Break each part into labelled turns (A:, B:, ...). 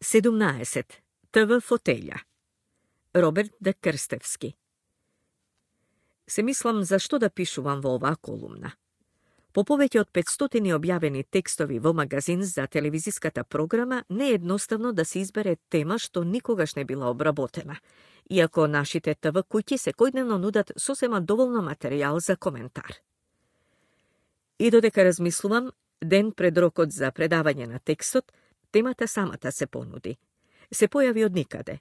A: 17. ТВ фотелја. Роберт Д. Крстевски. Се мислам зашто да пишувам во оваа колумна. По повеќе од 500 објавени текстови во магазин за телевизиската програма, не е едноставно да се избере тема што никогаш не била обработена, иако нашите ТВ куќи секојдневно нудат сосема доволно материјал за коментар. И додека размислувам, ден пред рокот за предавање на текстот, темата самата се понуди. Се појави од никаде.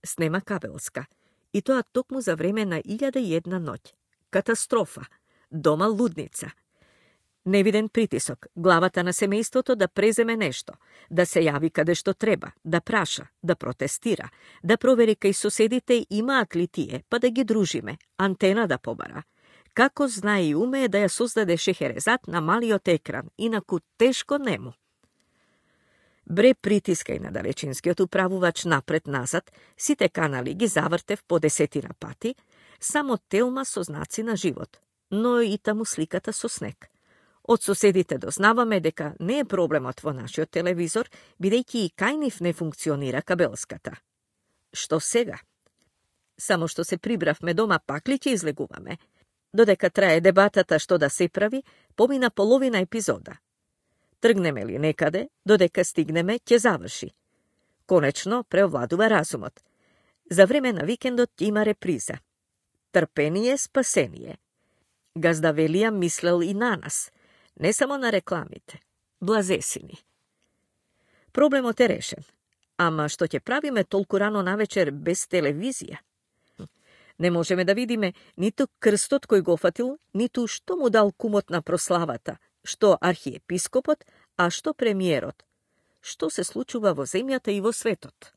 A: Снема кабелска. И тоа токму за време на 1001 ноќ. Катастрофа. Дома лудница. Невиден притисок, главата на семејството да преземе нешто, да се јави каде што треба, да праша, да протестира, да провери кај соседите имаат ли тие, па да ги дружиме, антена да побара. Како знае и умее да ја создаде Шехерезад на малиот екран, инаку тешко нему. Бре притиска и на далечинскиот управувач напред-назад, сите канали ги завртев по 10 пати, само телма со знаци на живот, но и таму сликата со снег. Од соседите дознаваме дека не е проблемот во нашиот телевизор, бидејќи и кај нив не функционира кабелската. Што сега? Само што се прибравме дома, пак ли ќе излегуваме? Додека трае дебатата што да се прави, помина половина епизода. Тргнеме ли некаде, додека стигнеме, ќе заврши. Конечно, преовладува разумот. За време на викендот има реприза. Трпение, спасение. Газда Велија мислел и на нас, не само на рекламите. Блазесини. Проблемот е решен. Ама што ќе правиме толку рано навечер без телевизија? Не можеме да видиме ниту крстот кој го фатил, ниту што му дал кумот на прославата, што архиепископот, а што премиерот. Што се случува во земјата и во светот?